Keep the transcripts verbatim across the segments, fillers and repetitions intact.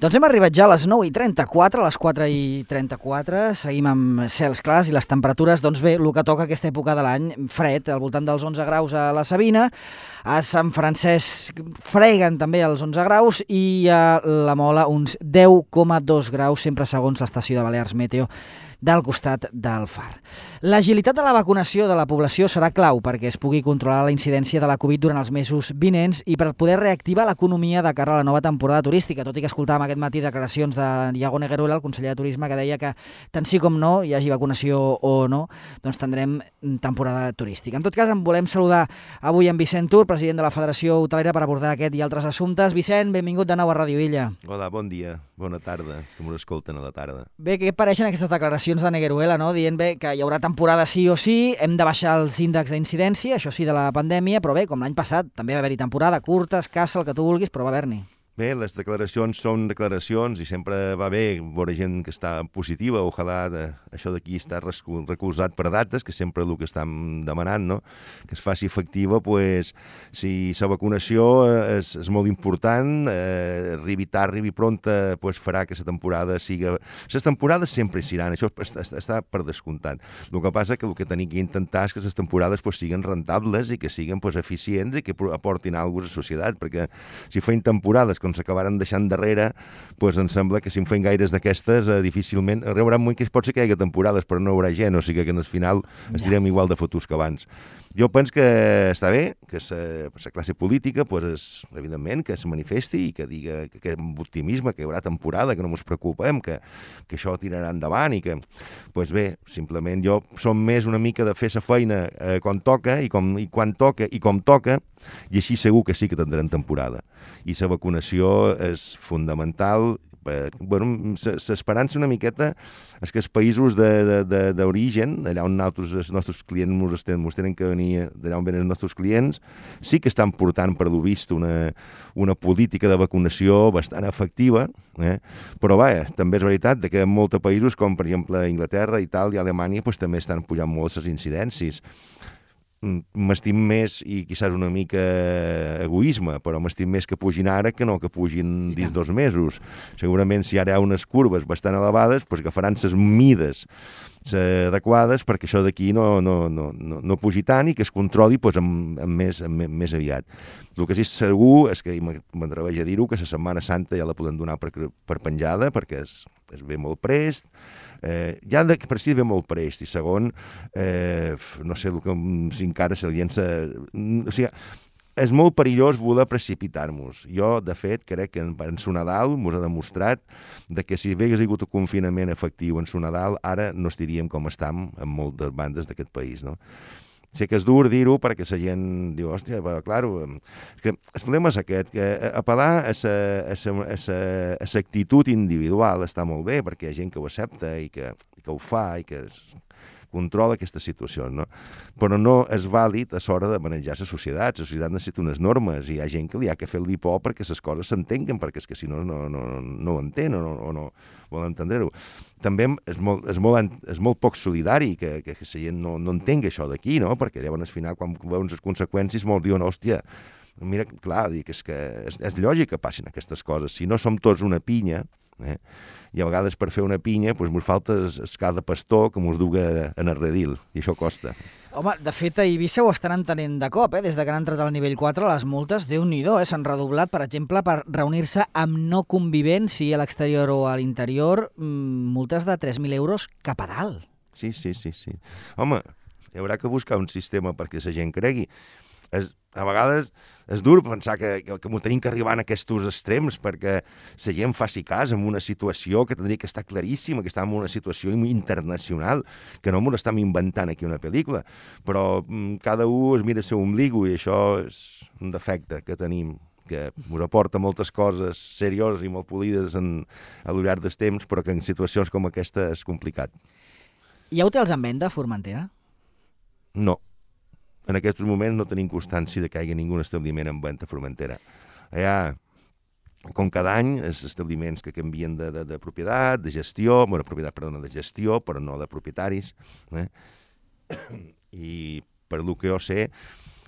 Doncs hem arribat ja a les nou i trenta-quatre, a les quatre i trenta-quatre, seguim amb cels clars i les temperatures, doncs bé, el que toca aquesta època de l'any, fred, al voltant dels onze graus a la Sabina, a Sant Francesc freguen també els onze graus i a la Mola uns deu coma dos graus, sempre segons l'estació de Balears Meteo del costat del Far. L'agilitat de la vacunació de la població serà clau perquè es pugui controlar la incidència de la Covid durant els mesos vinents i per poder reactivar l'economia de cara a la nova temporada turística, tot i que escoltàvem aquest matí declaracions de Iago Negueruela, el conseller de Turisme, que deia que tant sí com no, hi hagi vacunació o no, doncs tindrem temporada turística. En tot cas, en volem saludar avui en Vicent Tur, president de la Federació Hotelera, per abordar aquest i altres assumptes. Vicent, benvingut de nou a Ràdio Illa. Hola, bon dia, bona tarda, que m'ho escolten a la tarda. Bé, què et pareixen aquestes declaracions de Negueruela, no? Dient bé que hi haurà temporada sí o sí, hem de baixar els índexs d'incidència, això sí, de la pandèmia, però bé, com l'any passat, també va haver-hi temporada curta, escassa, el que tu vulguis, però va haver-n'hi. Bé, les declaracions són declaracions i sempre va bé veure gent que està positiva. Ojalà de, això d'aquí està recolzat per dates, que sempre el que estem demanant, no? Que es faci efectiva, pues, si la vacunació és, és molt important, eh, arribi tard, arribi pronta, pues, farà que la temporada siga... Les temporades sempre hi seran, això està, està per descomptat. El que passa que el que tenim que intentar és que les temporades pues, siguin rentables i que siguin pues, eficients i que aportin alguna cosa a la societat, perquè si feien temporades quan s'acabaran deixant darrere, doncs em sembla que si en feien gaires d'aquestes, eh, difícilment... Hi haurà un moment que pot ser que hi hagi temporades, però no hi haurà gent, o sigui que al final estirem igual de fotuts que abans. Jo penso que està bé, que la classe política, pues, és, evidentment, que se manifesti i que diga que, que amb optimisme, que hi haurà temporada, que no ens preocupem, que, que això tirarà endavant i que, pues bé, simplement jo som més una mica de fer la feina eh, quan toca i, com, i quan toca i com toca, i així segur que sí que tindrem temporada. I la vacunació és fundamental. Eh, bueno, l'esperança una miqueta és que els països d'origen, allà on nosaltres, els nostres clients ens tenen, tenen que venir, d'allà on venen els nostres clients, sí que estan portant per lo vist una, una política de vacunació bastant efectiva, eh? Però va, també és veritat que en molts països, com per exemple Anglaterra, Itàlia, Alemanya, pues, també estan pujant molt les incidències. M'estim més, i quizás una mica egoisme, però m'estim més que pugin ara que no que pugin dins dos mesos. Segurament si ara hi ha unes curves bastant elevades, doncs agafaran les mides adequades perquè això d'aquí no, no, no, no, no pugi tant i que es controli doncs, amb, amb més, amb més aviat. El que sí segur és que, i m'atreveix a dir-ho, que la Setmana Santa ja la podem donar per, per penjada, perquè es, es ve molt prest, eh, ja de, per si ve molt prest, i segon, eh, no sé, el que, si encara se llença... O sigui, és molt perillós voler precipitar-nos. Jo, de fet, crec que en su Nadal ens ha demostrat de que si hagués hagut un confinament efectiu en su Nadal, ara no estaríem com estem en moltes bandes d'aquest país, no? Sé que és dur dir-ho perquè la gent diu, hòstia, però, clar, que el problema és aquest, que apel·lar a la actitud individual està molt bé, perquè hi ha gent que ho accepta i que, que ho fa i que controla aquestes situacions, no? Però no és vàlid a l'hora de manejar la societat. La societat necessita unes normes i hi ha gent que li ha que fer-li por perquè les coses s'entenguen, perquè és que si no, no, no, no ho entén o no, o no vol entendre-ho. També és molt, és molt, és molt poc solidari que, que la gent no, no entengui això d'aquí, no? Perquè llavors al final, quan veuen les conseqüències, molts diuen, hòstia, mira, clar, dic, és que és, és lògic que passin aquestes coses. Si no som tots una pinya, eh? I a vegades per fer una pinya doncs ens falta el cada pastor que ens duga en el redil, i això costa. Home, de fet, a Eivissa ho estan entenent de cop, eh? Des de que han entrat al nivell quatre, les multes, Déu-n'hi-do, eh? S'han redoblat, per exemple, per reunir-se amb no convivents, sigui a l'exterior o a l'interior, multes de tres mil euros cap a dalt. Sí, sí, sí, sí. Home, hi haurà que buscar un sistema perquè la gent cregui. És, a vegades és dur pensar que, que, que m'ho tenim que arribar en aquests extrems perquè la gent faci cas en una situació que tindria que estar claríssima, que està en una situació internacional, que no m'ho estem inventant aquí una pel·lícula, però mm, cada un es mira el seu ombligo i això és un defecte que tenim, que ens aporta moltes coses serioses i molt polides en, a lo llarg dels temps, però que en situacions com aquesta és complicat. Hi ha hotels en venda a Formentera? No. En aquests moments no tenim constància de que hi hagi ningú establiment en venda a Formentera. Allà, com cada any, els establiments que canvien de, de, de propietat, de gestió, bueno, propietat, perdona, de gestió, però no de propietaris, eh? I per el que jo sé,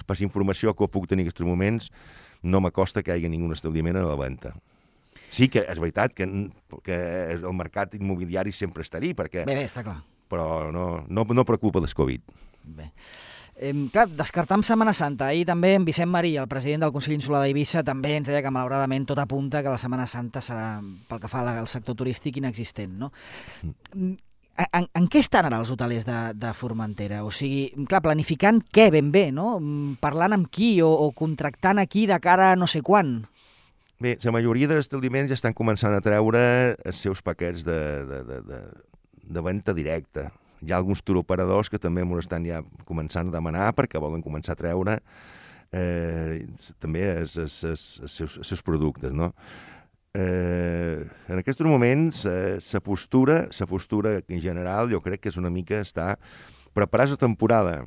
per la informació que puc tenir en aquests moments, no m'acosta que hi hagi ningú establiment a la venda. Sí que és veritat que, que el mercat immobiliari sempre estaria, perquè... Bé, bé, està clar. Però no, no, no preocupa del Covid. Bé. Eh, clar, descartam Setmana Santa. Ahir també en Vicent Marí, el president del Consell Insular d'Eivissa, també ens deia que malauradament tot apunta que la Setmana Santa serà, pel que fa al sector turístic, inexistent, no? Mm. En, en què estan ara els hotelers de, de Formentera? O sigui, clar, planificant què ben bé, no? Parlant amb qui o, o contractant a qui de cara a no sé quan? Bé, la majoria dels establiments ja estan començant a treure els seus paquets de, de, de, de, de venda directa. Hi ha alguns turoperadors que també ens estan ja començant a demanar perquè volen començar a treure eh, també els, els, els, els, seus, els seus productes, no? Eh, en aquests moments, eh, la postura, la postura en general, jo crec que és una mica estar preparats a temporada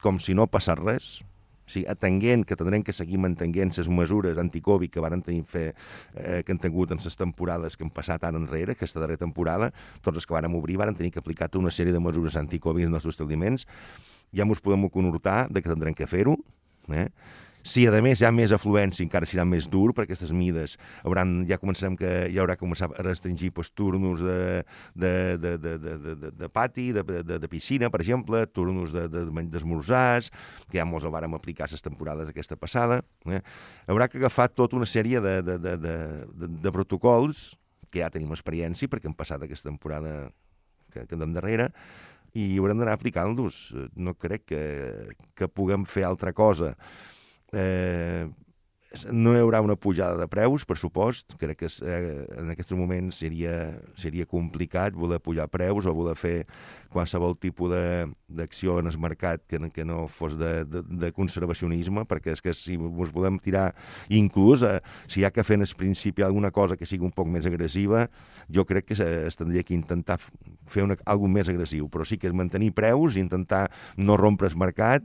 com si no passés res, o sigui, atenguent que tindrem que seguir mantenint les mesures anticovid que van tenir fer, eh, que han tingut en les temporades que han passat ara enrere, aquesta darrera temporada, tots els que vàrem obrir van tenir que aplicar tota una sèrie de mesures anticovid als nostres establiments. Ja ens podem conhortar de que tindrem que fer-ho, eh? Si, a més, hi ha més afluència, encara serà més dur, perquè aquestes mides hauran, ja començarem que hi haurà que començar a restringir pues, turnos de, de, de, de, de, de, de pati, de, de, de piscina, per exemple, turnos d'esmorzars, de, de, que ja molts el vàrem aplicar les temporades aquesta passada. Eh? Haurà que agafar tota una sèrie de, de, de, de, de, de protocols, que ja tenim experiència, perquè hem passat aquesta temporada que, que anem darrere, i haurem d'anar aplicant-los. No crec que, que puguem fer altra cosa. Eh, no hi haurà una pujada de preus, per supost. Crec que eh, en aquests moments seria, seria complicat voler pujar preus o voler fer qualsevol tipus d'acció en el mercat que, que no fos de, de, de conservacionisme, perquè és que si ens volem tirar, inclús eh, si hi ha que fer en el principi alguna cosa que sigui un poc més agressiva, jo crec que es tindria que intentar fer una, alguna més agressiu, però sí que és mantenir preus i intentar no rompre el mercat.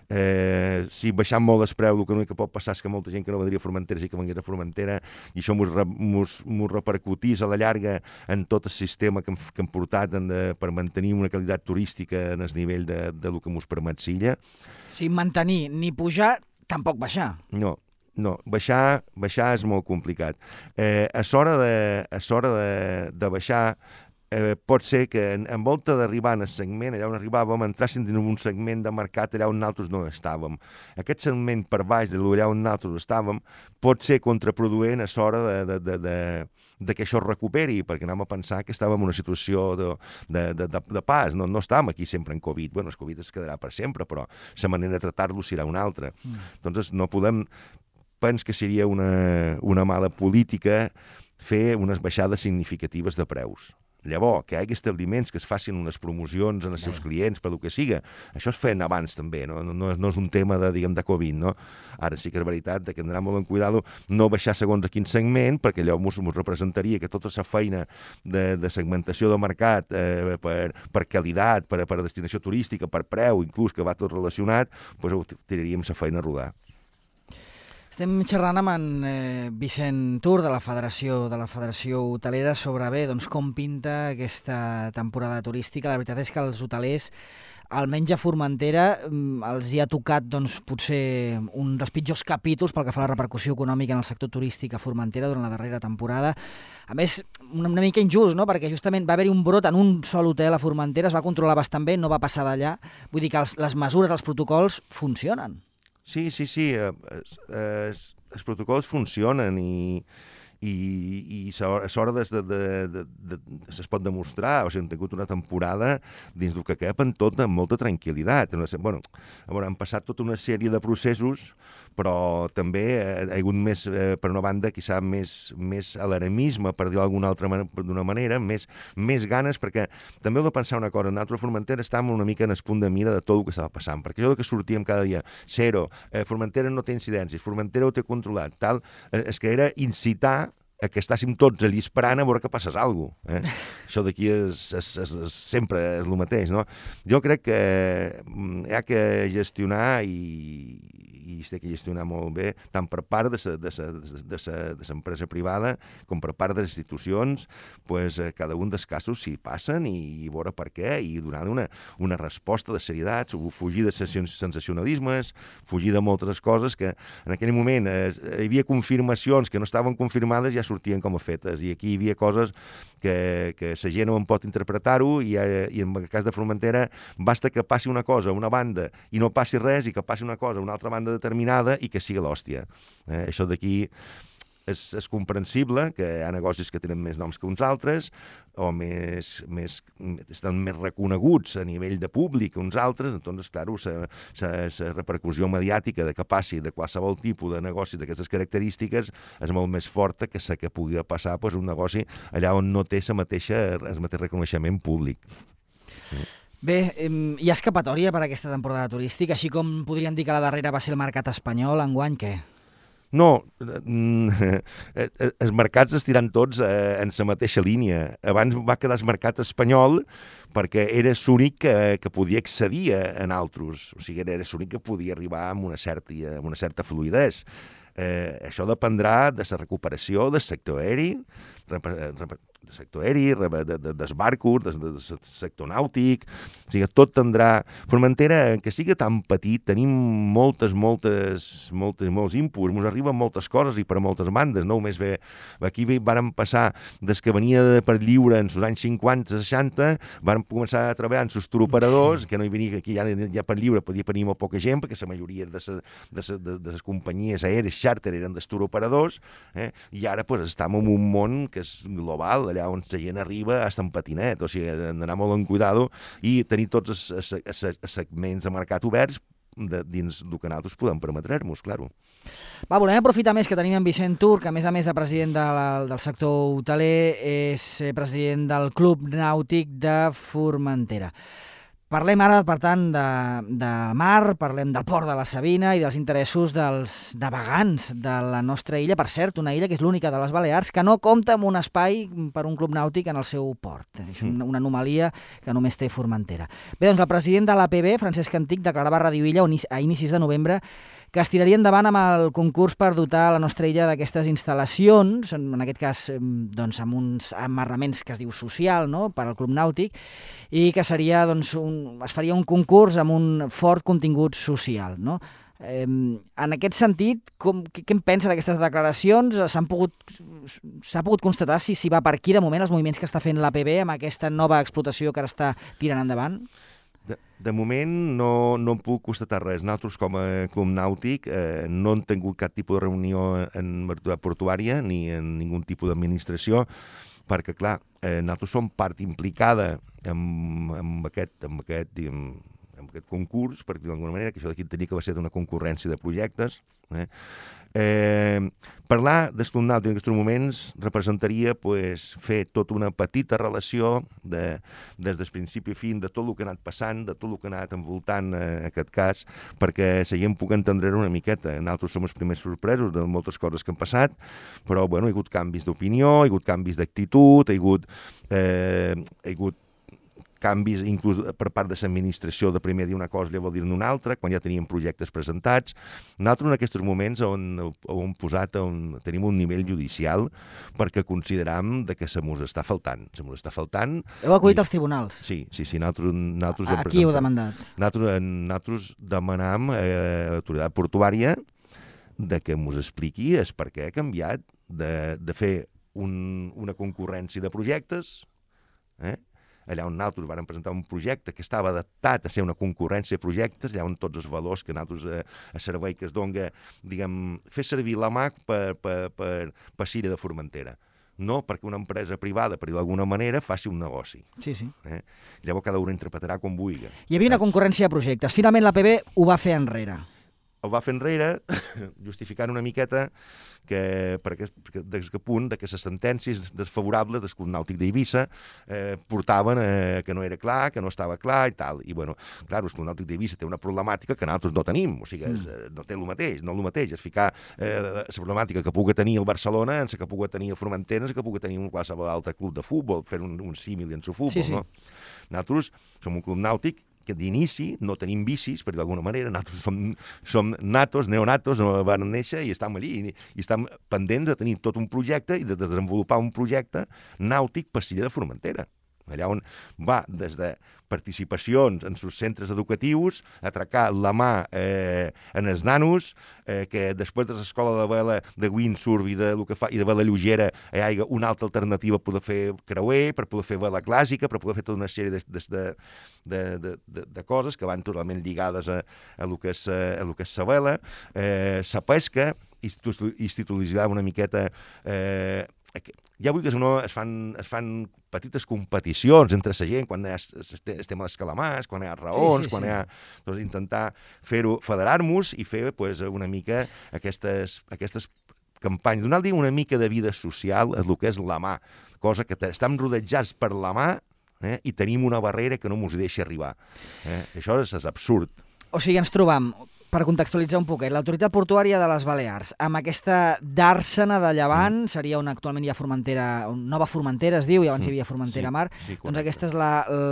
Eh, si baixant molt el preu, el que no que pot passar és que molta gent que no vendria a Formentera sí que vengués a Formentera, i això mos repercutís a la llarga en tot el sistema que hem, que hem portat en de, per mantenir una qualitat turística en el nivell de, de lo que mos permet Silla. O sigui, mantenir, ni pujar, tampoc baixar. No, no, baixar, baixar és molt complicat. Eh, a l'hora de, a l'hora de, de baixar, Eh, pot ser que en, en volta d'arribar en el segment, allà on arribàvem, entrassin en un segment de mercat allà on nosaltres no estàvem. Aquest segment per baix de allà on nosaltres estàvem pot ser contraproduent a l'hora de, de, de, de, de que això es recuperi, perquè anem a pensar que estàvem en una situació de, de, de, de, de pas, no, no estàvem aquí sempre en Covid. Bueno, el Covid es quedarà per sempre, però la manera de tractar-lo serà una altra. Mm. Entonces no podem... Penso que seria una, una mala política fer unes baixades significatives de preus. Llavors, que hi hagi establiments que es facin unes promocions en els seus clients, per el que siga. Això es feien abans també, no, no, no és un tema de, diguem, de Covid, no? Ara sí que és veritat que hem d'anar molt en cuidado, no baixar segons a quin segment, perquè allò ens representaria que tota la feina de, de segmentació de mercat eh, per, per qualitat, per, per destinació turística, per preu, inclús que va tot relacionat, doncs tiraríem la feina a rodar. Estem xerrant amb en eh, Vicent Tur de la Federació de la Federació Hotelera sobre bé, doncs, com pinta aquesta temporada turística. La veritat és que els hotelers, almenys a Formentera, els hi ha tocat doncs, potser un dels pitjors capítols pel que fa a la repercussió econòmica en el sector turístic a Formentera durant la darrera temporada. A més, una, una mica injust, no? Perquè justament va haver-hi un brot en un sol hotel a Formentera, es va controlar bastant bé, no va passar d'allà. Vull dir que els, les mesures, els protocols funcionen. Sí, sí, sí, els, els, els protocols funcionen i, i, i a l'hora de, de, de, de, de, es pot demostrar, o sigui, hem tingut una temporada dins del que cap en tot amb molta tranquil·litat. Bueno, han passat tota una sèrie de processos, però també hi ha hagut més, per una banda, quizà més, més alarmisme, per dir-ho d'alguna altra d'una manera, més, més ganes, perquè també heu de pensar una cosa, nosaltres a Formentera estàvem una mica en el punt de mira de tot el que estava passant, perquè això que sortíem cada dia, zero, eh, Formentera no té incidències, Formentera ho té controlat, tal, eh, és que era incitar a que estàssim tots allà esperant a veure que passés alguna cosa. Eh? Això d'aquí és, és, és, és, sempre és el mateix, no? Jo crec que hi ha que gestionar i, i es té que gestionar molt bé, tant per part de l'empresa privada com per part de les institucions, pues, eh, cada un dels casos s'hi passen i, i veure per què, i donar una, una resposta de serietat, fugir de sensacionalismes, fugir de moltes coses que en aquell moment eh, hi havia confirmacions que no estaven confirmades, ja sortien com a fetes, i aquí hi havia coses que, que la gent no en pot interpretar-ho, i, eh, i en el cas de Formentera basta que passi una cosa a una banda i no passi res, i que passi una cosa a una altra banda determinada i que sigui l'hòstia. Eh, això d'aquí és, és comprensible, que hi ha negocis que tenen més noms que uns altres, o més, més, estan més reconeguts a nivell de públic que uns altres, doncs, clar, la repercussió mediàtica de que passi de qualsevol tipus de negoci d'aquestes característiques és molt més forta que la que pugui passar pues, un negoci allà on no té la mateixa, el mateix reconeixement públic. Bé, hi ha escapatòria per a aquesta temporada turística, així com podríem dir que la darrera va ser el mercat espanyol, enguany què? No, els mercats estiran tots en la mateixa línia. Abans va quedar el mercat espanyol perquè era l'únic que, que podia accedir a altres, o sigui, era l'únic que podia arribar amb una certa, amb una certa fluïdesa. Eh, això dependrà de la recuperació del sector aeri, del sector aeri, de, de, dels barcos, del de, de sector nàutic, o sigui, tot tindrà... Formentera, que sigui tan petit, tenim moltes, moltes, moltes, molts inputs, ens arriben moltes coses i per moltes bandes, no? Només bé, aquí vàrem passar des que venia de per lliure en els anys cinquanta, seixanta, vàrem començar a treballar amb els turoperadors, que no hi venia, aquí ja, ja per lliure podia venir molt poca gent, perquè la majoria de les de, de, de companyies aèries xàrter eren dels turoperadors, eh? I ara pues, estem en un món que és global, allà on la gent arriba hasta en patinet, o sigui, hem d'anar molt en cuidado i tenir tots els, els, els segments de mercat oberts de, dins del que nosaltres podem permetre-nos, claro. Va, volem aprofitar més que tenim en Vicent Tur, que a més a més de president de la, del sector hoteler és president del Club Nàutic de Formentera. Parlem ara, per tant, de, de mar, parlem del port de la Sabina i dels interessos dels navegants de la nostra illa. Per cert, una illa que és l'única de les Balears que no compta amb un espai per un club nàutic en el seu port. És una, una anomalia que només té Formentera. Bé, doncs el president de l'A P B, Francesc Antic, declarava a Ràdio Illa a inicis de novembre que es tiraria endavant amb el concurs per dotar la nostra illa d'aquestes instal·lacions, en aquest cas doncs, amb uns amarraments que es diu social, no?, per al club nàutic, i que seria, doncs, un, es faria un concurs amb un fort contingut social, no? Eh, en aquest sentit, com, què, què en pensa d'aquestes declaracions? S'han pogut, s'ha pogut constatar si, si va per aquí de moment els moviments que està fent l'A P B amb aquesta nova explotació que ara està tirant endavant? De, de moment no, no em puc constatar res. Nosaltres, com a club nàutic, eh, no hem tingut cap tipus de reunió en obertura portuària ni en ningun tipus d'administració, perquè, clar, eh, nosaltres som part implicada en, en, aquest, en, aquest, en, en aquest concurs, per dir d'alguna manera, que això d'aquí tenia que va ser una concurrència de projectes. Eh? Eh, parlar del club nàutic en aquests moments representaria pues, fer tota una petita relació de, des del principi a fin de tot el que ha anat passant, de tot el que ha anat envoltant eh, aquest cas, perquè la gent pugui entendre una miqueta. Nosaltres som els primers sorpresos de moltes coses que han passat, però bueno, hi ha hagut canvis d'opinió, hi ha hagut canvis d'actitud, hi ha hagut, eh, hi ha hagut canvis inclús per part de l'administració de primer dir una cosa i llavors dir-ne una altra, quan ja teníem projectes presentats. Nosaltres en aquests moments on, on posat, on tenim un nivell judicial perquè consideram de que se mos està faltant. Se mos està faltant. Heu acudit als tribunals? Sí, sí, sí. Nosaltres, nosaltres a, a qui heu demandat? Nosaltres, nosaltres demanam eh, a l'autoritat portuària de que mos expliqui el per què ha canviat de, de fer un, una concurrència de projectes, eh? allà on nosaltres vam presentar un projecte que estava adaptat a ser una concurrència de projectes, allà on tots els valors que nosaltres eh, a servei que es dona, diguem, fer servir la mà per, per, per, per Sira de Formentera. No perquè una empresa privada, per dir d'alguna manera, faci un negoci. Sí, sí. Eh? Llavors cada un interpretarà com vulgui. Hi havia una concurrència de projectes. Finalment l'A P B ho va fer enrere. El va fer enrere, justificant una miqueta que, per aquest, des que punt de que les sentències desfavorables del Club Nàutic d'Eivissa eh, portaven eh, que no era clar, que no estava clar i tal. I, bueno, clar, el Club Nàutic d'Eivissa té una problemàtica que nosaltres no tenim, o sigui, és, mm. no té el mateix, no el mateix, és ficar eh, la problemàtica que pugui tenir el Barcelona en la que pugui tenir el Formentera, en la que pugui tenir un qualsevol altre club de futbol, fer un, un símil en el futbol, sí, sí. No? Nosaltres som un club nàutic que d'inici no tenim vicis, per d'alguna manera, nosaltres som, som natos, neonatos, no van néixer i estem allí, i, i estem pendents de tenir tot un projecte i de desenvolupar un projecte nàutic per Silla de Formentera. Allà on va des de participacions en sus centres educatius, a atracar la mà eh, en els nanos, eh, que després de l'escola de vela de windsurf i de, lo que fa, i de vela lleugera hi hagi una altra alternativa per poder fer creuer, per poder fer vela clàssica, per poder fer tota una sèrie de, de, de, de, de, de coses que van totalment lligades a, a lo que és, a lo que és la vela, eh, la pesca, institucionalitzar una miqueta... Eh, ja vull que no es fan, es fan petites competicions entre la gent, quan hi ha el tema dels calamars, quan hi ha raons, sí, sí, quan sí. hi ha... Doncs intentar fer-ho, federar-nos i fer pues, una mica aquestes, aquestes campanyes, donar-li una mica de vida social a el que és la mà, cosa que estem rodejats per la mà eh, i tenim una barrera que no ens deixa arribar. Eh? Això és, és absurd. O sigui, ens trobam... Per contextualitzar un poquet, l'Autoritat Portuària de les Balears, amb aquesta dàrsena de Llevant, mm. seria on actualment hi ha Formentera, Nova Formentera es diu, i abans hi havia Formentera sí, Mar, sí, doncs aquesta és la,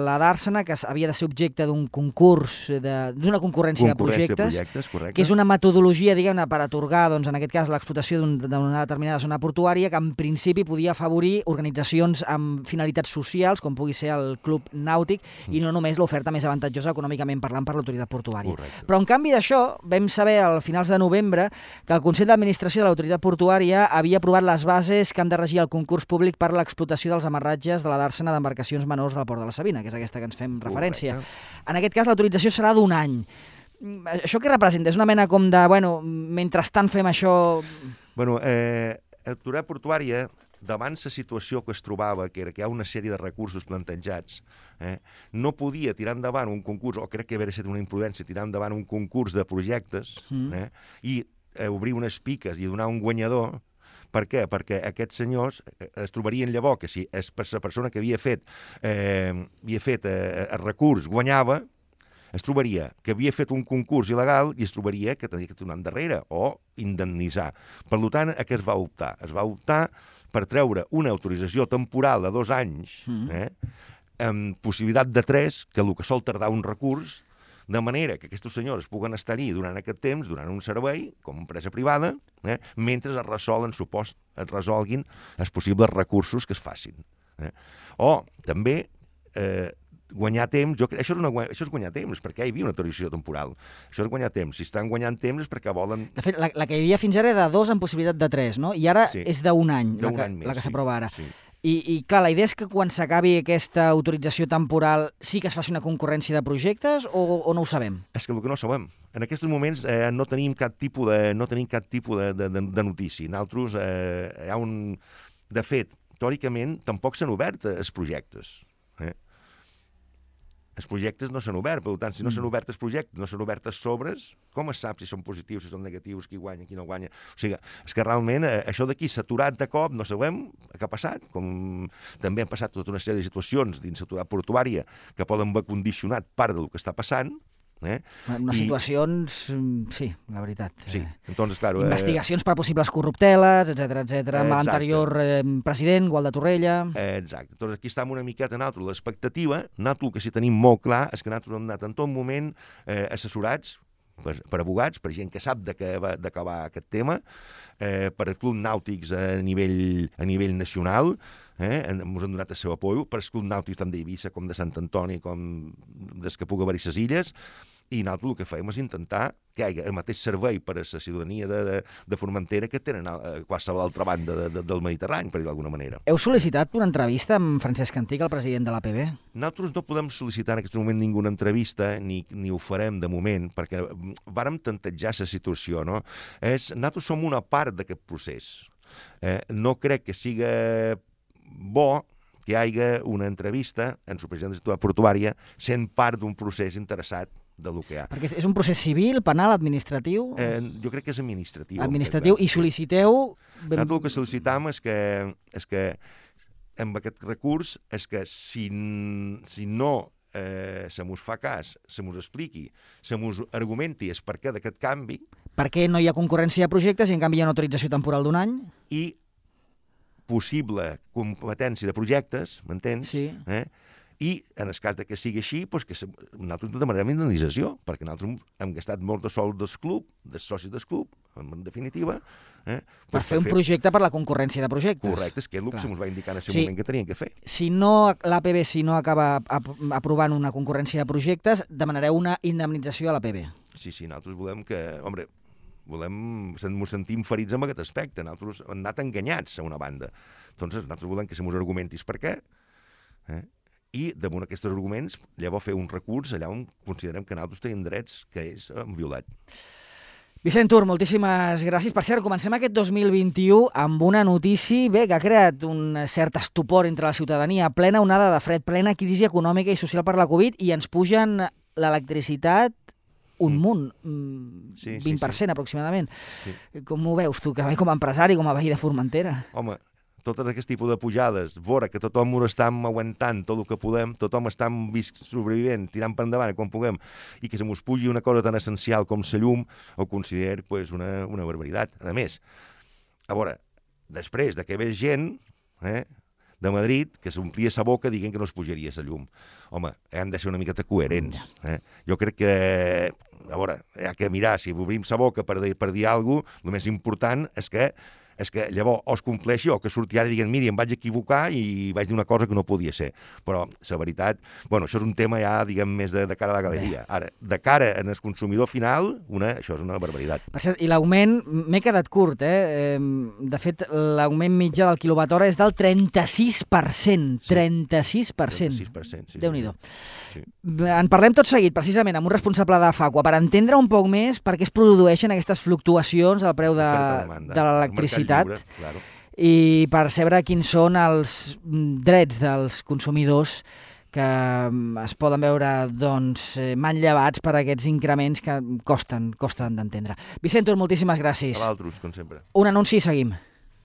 la dàrsena que havia de ser objecte d'un concurs, d'una concurrència, concurrència de projectes, de projectes que és una metodologia, diguem-ne, per atorgar, doncs, en aquest cas, l'explotació d'una un, determinada zona portuària que en principi podia afavorir organitzacions amb finalitats socials, com pugui ser el Club Nàutic, mm. i no només l'oferta més avantatjosa econòmicament parlant per l'Autoritat Portuària. Correcte. Però en canvi d'això, vam saber al finals de novembre que el Consell d'Administració de l'Autoritat Portuària havia aprovat les bases que han de regir el concurs públic per a l'explotació dels amarratges de la dàrsena d'embarcacions menors del Port de la Sabina, que és aquesta que ens fem referència. Correcte. En aquest cas, l'autorització serà d'un any. Això què representa? És una mena com de, bueno, mentrestant fem això... Bueno, eh, l'Autoritat Portuària, davant la situació que es trobava, que era que hi ha una sèrie de recursos plantejats, eh, no podia tirar endavant un concurs, o crec que hauria estat una imprudència, tirar endavant un concurs de projectes mm. eh, i eh, obrir unes piques i donar un guanyador. Per què? Perquè aquests senyors es trobarien llavors que si és per la persona que havia fet, eh, havia fet eh, el recurs guanyava, es trobaria que havia fet un concurs il·legal i es trobaria que tenia que tornar endarrere o indemnitzar. Per tant, a què es va optar? Es va optar per treure una autorització temporal de dos anys, eh, amb possibilitat de tres, que el que sol tardar un recurs, de manera que aquests senyors puguen estar-hi durant aquest temps, durant un servei, com a empresa privada, eh, mentre es resolen, supos, es resolguin els possibles recursos que es facin. Eh. O, també, eh, guanyar temps, jo crec, això és, una, això és guanyar temps, perquè hi havia una autorització temporal. Això és guanyar temps. Si estan guanyant temps és perquè volen... De fet, la, la que hi havia fins ara era de dos amb possibilitat de tres, no? I ara sí. és d'un any, la que, any més, la que s'aprova ara. Sí. I, I, clar, la idea és que quan s'acabi aquesta autorització temporal sí que es faci una concurrència de projectes o, o no ho sabem? És que el que no sabem. En aquests moments eh, no tenim cap tipus de, no tenim cap tipus de, de, de, de notícia. Nosaltres, eh, hi ha un... De fet, teòricament, tampoc s'han obert els projectes. Eh? Els projectes no s'han obert, per tant, si no s'han obert els projectes, no s'han obert els sobres, com es sap si són positius, si són negatius, qui guanya, qui no guanya? O sigui, és que realment eh, això d'aquí s'ha aturat de cop, no sabem què ha passat, com també han passat tota una sèrie de situacions dins l'autoritat portuària que poden haver condicionat part del que està passant. Eh? Unes I... situacions, sí, la veritat. Sí, entonces, claro... Investigacions eh... per possibles corrupteles, etcètera, etcètera, amb l'anterior eh, president, Gual de Torrella... Eh, exacte. Entonces, aquí estem una miqueta nosaltres. L'expectativa, nosaltres el que sí tenim molt clar, és que nosaltres hem anat en tot moment eh, assessorats per, per abogats, per gent que sap d'acabar aquest tema, eh, per clubs nàutics a nivell, a nivell nacional, eh, ens han donat el seu apoyo, per clubs nàutics tant d'Eivissa com de Sant Antoni, com des que pugui haver-hi les illes, i nosaltres el que fèiem és intentar que hi hagi el mateix servei per a la ciutadania de, de, de Formentera que tenen a qualsevol altra banda de, de, del Mediterrani, per dir d'alguna manera. Heu sol·licitat una entrevista amb Francesc Antich, el president de l'A P B? Nosaltres no podem sol·licitar en aquest moment ninguna entrevista, ni, ni ho farem de moment, perquè vàrem tantejar la situació, no? És, nosaltres som una part d'aquest procés. Eh, no crec que siga bo que hi hagi una entrevista en el president de la ciutat portuària sent part d'un procés interessat del que hi ha. Perquè és un procés civil, penal, administratiu? Eh, jo crec que és administratiu. Administratiu, i sol·liciteu... Nosaltres el que sol·licitam és que, és que amb aquest recurs és que si, si no eh, se mos fa cas, se mos expliqui, se mos argumenti el perquè d'aquest canvi... Per què no hi ha concurrència de projectes i en canvi hi ha una autorització temporal d'un any? I possible competència de projectes, m'entens? Sí. Eh? I en el cas que sigui així, doncs que nosaltres demanarem indemnització, perquè nosaltres hem gastat molt de sol del club, dels socis del club, en definitiva. Eh? Per fer un projecte per la concurrència de projectes. Correcte, és que és el que se'ns va indicar en el Sí. moment que tenien que fer. Si no, l'A P B, si no acaba ap- aprovant una concurrència de projectes, demanareu una indemnització a l'A P B. Sí, sí, nosaltres volem que... Home, volem... Ens sentim ferits amb aquest aspecte. Nosaltres hem anat enganyats a una banda. Entonces, nosaltres volem que se mos argumentis per què, eh? I damunt aquests arguments llavors fer un recurs allà on considerem que nosaltres tenim drets que és hem violat. Vicent Tur, moltíssimes gràcies. Per cert, comencem aquest dos mil vint-i-u amb una notícia bé, que ha creat un cert estupor entre la ciutadania, plena onada de fred, plena crisi econòmica i social per la Covid, i ens pugen l'electricitat un munt, Sí, sí, vint per cent sí. aproximadament. Sí. Com ho veus tu, que ve com a empresari, com a veí de Formentera? Home, totes aquest tipus de pujades, veure que tothom ho està aguantant tot el que podem, tothom està sobrevivent, tirant per endavant quan puguem, i que se mos pugi una cosa tan essencial com la llum, ho considero pues, una, una barbaritat. A més, a veure, després de que ve gent eh, de Madrid que s'omplia sa boca dient que no es pujaria la llum. Home, hem de ser una miqueta coherents. Eh? Jo crec que, a veure, hi ha que mirar, si obrim sa boca per dir, per dir alguna cosa, el més important és que és que llavors o es compleixi o que surti ara i diguin miri, em vaig equivocar i vaig dir una cosa que no podia ser. Però la veritat, bueno, això és un tema ja, diguem, més de, de cara a la galeria. Ara, de cara en el consumidor final, una, això és una barbaritat. Per cert, i l'augment, m'he quedat curt, eh? De fet, l'augment mitjà del quilowatt hora és del trenta-sis per cent. Sí. trenta-sis per cent. trenta-sis per cent, sí. Déu-n'hi-do. Sí. En parlem tot seguit, precisament, amb un responsable de Facua, per entendre un poc més per què es produeixen aquestes fluctuacions al preu de, de l'electricitat claro. i per saber quins són els drets dels consumidors que es poden veure doncs, manllevats per aquests increments que costen, costen d'entendre. Vicent Tur, moltíssimes gràcies. A l'altres, com sempre. Un anunci i seguim.